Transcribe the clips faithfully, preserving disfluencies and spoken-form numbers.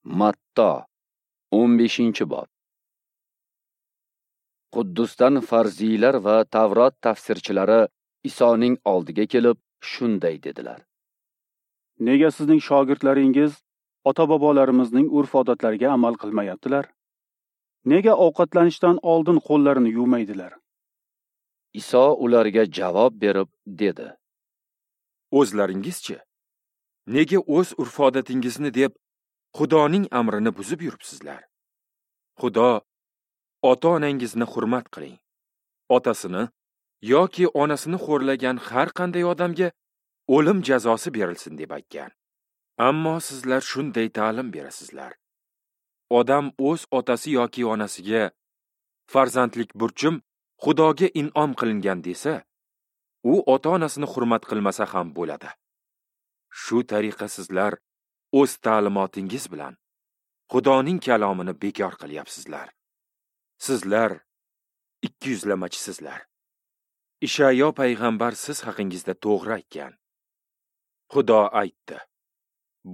Matto o'n beshinchi bob. Quddusdan farziylar va Tavrot tafsirchilari Isoning oldiga kelib shunday dedilar: Nega sizning shogirdlaringiz ota-bobolarimizning urf-odatlariga amal qilmayaptilar? Nega ovqatlanishdan oldin qo'llarini yuvmaydilar? Iso ularga javob berib dedi: O'zlaringizchi, nega o'z urf-odatingizni deb Xudoning amrini buzib yuribsizlar? Xudo ota-onangizni hurmat qiling. Otasini yoki onasini xo'rlagan har qanday odamga o'lim jazosi berilsin deb aytgan. Ammo sizlar shunday ta'lim berasizlar: Odam o'z otasi yoki onasiga farzandlik burchim Xudoga in'om qilingan desa, u ota-onasini hurmat qilmasa ham bo'ladi. Shu tariqa sizlar o'z ta'limotingiz bilan Xudoning kalomini bekor qilyapsizlar. Sizlar ikki yuzlamachisizlar. Ishayo payg'ambar siz haqingizda to'g'ri aytgan. Xudo aytdi: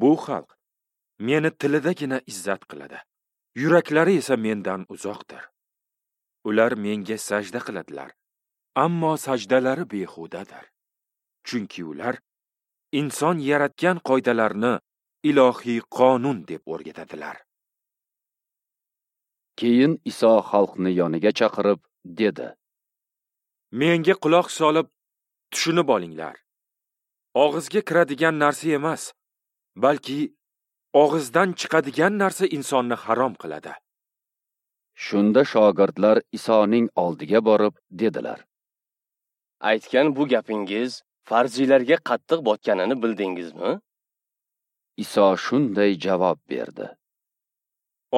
Bu xalq meni tilidagina izzat qiladi, yuraklari esa mendan uzoqdir. Ular menga sajda qiladilar, ammo sajdalari behudadir. Chunki ular inson yaratgan qoidalarni ilohiy qonun deb o'rgatadilar. Keyin Iso xalqni yoniga chaqirib dedi: Menga quloq solib tushunib olinglar. Og'izga kiradigan narsa emas, balki og'izdan chiqadigan narsa insonni harom qiladi. Shunda shogirdlar Isoning oldiga borib dedilar: Aytgan bu gapingiz farziylarga qattiq botganini bildingizmi? Iso shunday javob berdi: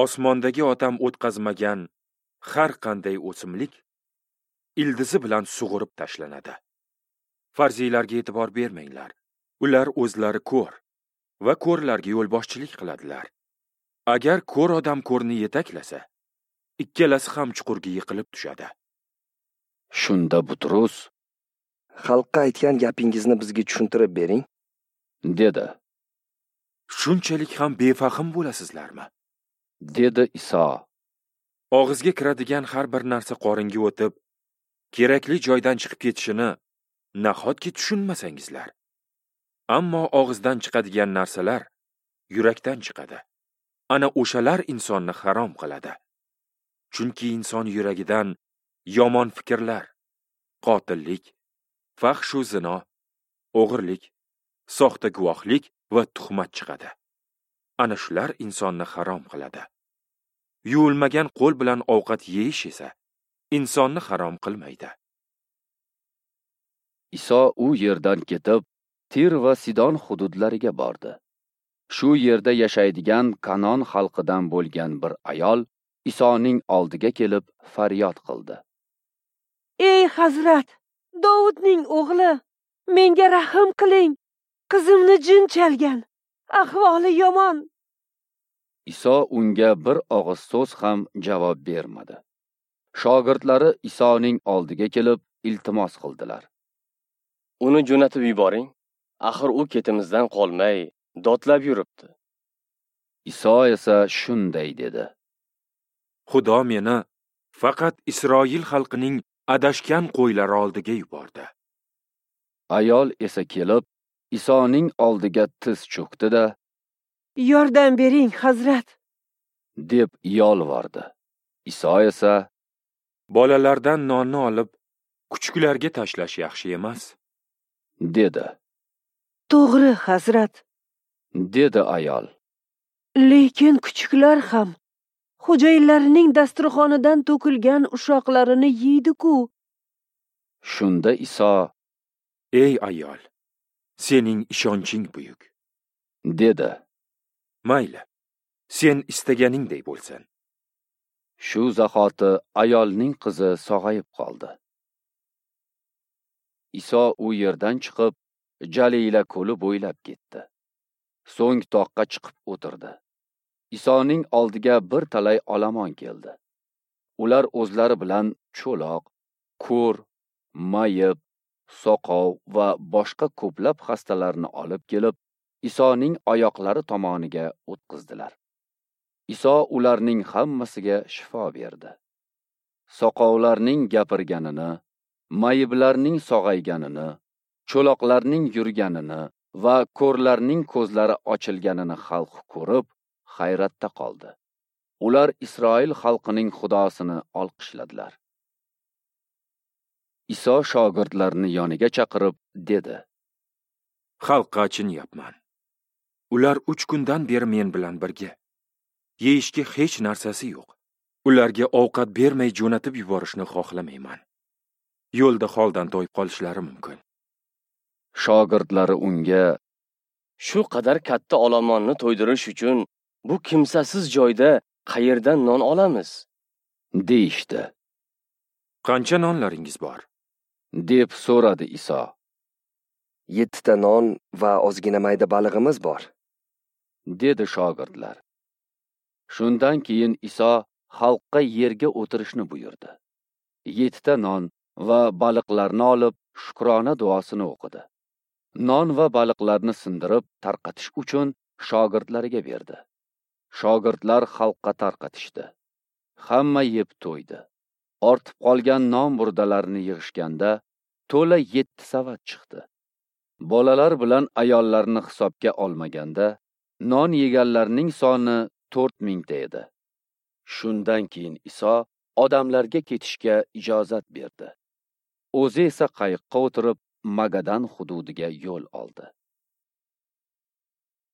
Osmondagi otam o'tqazmagan har qanday o'simlik ildizi bilan sug'urib tashlanadi. Farziylarga e'tibor bermanglar. Ular o'zlari ko'r va ko'rlarga yo'lboshchilik qiladilar. Agar ko'r odam ko'rni yetaklasa, ikkalasi ham chuqurga yiqilib tushadi. Shunda Butrus: Xalqqa aytgan gapingizni bizga tushuntirib bering, dedi. Shunchalik ham befahm bo'lasizlarmi? Dedi Iso. Og'izga kiradigan har bir narsa qoringa o'tib, kerakli joydan chiqib ketishini nahotki tushunmasangizlar? Ammo og'izdan chiqadigan narsalar yurakdan chiqadi. Ana o'shalar insonni harom qiladi. Chunki inson yuragidan yomon fikrlar, qotillik, fahshu zino, o'g'irlik, soxta guvohlik va tuhmat chiqadi. Ana shular insonni harom qiladi. Yuvilmagan qo'l bilan ovqat yeyish esa insonni harom qilmaydi. Iso u yerdan ketib, Tir va Sidon hududlariga bordi. Shu yerda yashaydigan Kanon xalqidan bo'lgan bir ayol Isoning oldiga kelib faryod qildi: Ey Hazrat, Dovudning o'g'li, menga rahm qiling. Qizimni jin chalgan, ahvoli yomon. Iso unga bir og'iz so'z ham javob bermadi. Shogirdlari Isoning oldiga kelib iltimos qildilar: Uni jo'natib yuboring. Axir u ketimizdan qolmay dodlab yuribdi. Iso esa shunday dedi: Xudo meni faqat Isroil xalqining adashgan qo'ylari oldiga yubordi. Ayol esa kelib Isoning oldiga tiz cho'kdi-da, Yordam bering, Hazrat, deb yolvordi. Iso esa: Bolalardan nonni olib kuchuklarga tashlash yaxshi emas, dedi. To'g'ri, Hazrat, dedi ayol. Lekin kuchuklar ham xo'jayinlarining dasturxonidan to'kilgan ushoqlarini yeydi-ku. Shunda Iso: Ey ayol, sening ishonching buyuk, dedi. Mayli, sen istaganingday bo'lsin. Shu zahoti ayolning qizi sog'ayib qoldi. Iso u yerdan chiqib, Jalila ko'li bo'ylab ketdi. So'ng toqqa chiqib o'tirdi. Isoning oldiga bir talay olomon keldi. Ular o'zlari bilan cho'loq, ko'r, mayib, soqov va boshqa ko'plab xastalarni olib kelib, Isoning oyoqlari tomoniga o'tqizdilar. Iso ularning hammasiga shifo berdi. Soqovlarning gapirganini, mayiblarning sog'ayganini, cho'loqlarning yurganini va ko'rlarning ko'zlari ochilganini xalq ko'rib, hayratda qoldi. Ular Isroil xalqining Xudosini olqishladilar. Iso shogirdlarini yoniga chaqirib dedi: Xalqqa achinyapman. Ular uch kundan beri men bilan birga. Yeyishga hech narsasi yo'q. Ularga ovqat bermay jo'natib yuborishni xohlamayman. Yo'lda holdan toyib qolishlari mumkin. Shogirdlari unga: Shu qadar katta olomonni to'ydirish uchun bu kimsasiz joyda qayerdan non olamiz? Deyishdi. Qancha nonlaringiz bor? Deb so'radi Iso. Yettita non va ozgina mayda balig'imiz bor, dedi shogirdlar. Shundan keyin Iso xalqqa yerga o'tirishni buyurdi. Yettita non va baliqlarni olib, shukrona duosini o'qidi. Non va baliqlarni sindirib tarqatish uchun shogirdlariga berdi. Shogirdlar xalqqa tarqatishdi. Hamma yeb to'ydi. Ortib qolgan non burdalarini yig'ishganda to'la yetti savat chiqdi. Bolalar bilan ayollarni hisobga olmaganda non yeganlarning soni to'rt mingta edi. Shundan keyin Iso odamlarga ketishga ijozat berdi. O'zi esa qayiqqa o'tirib Magadan hududiga yo'l oldi.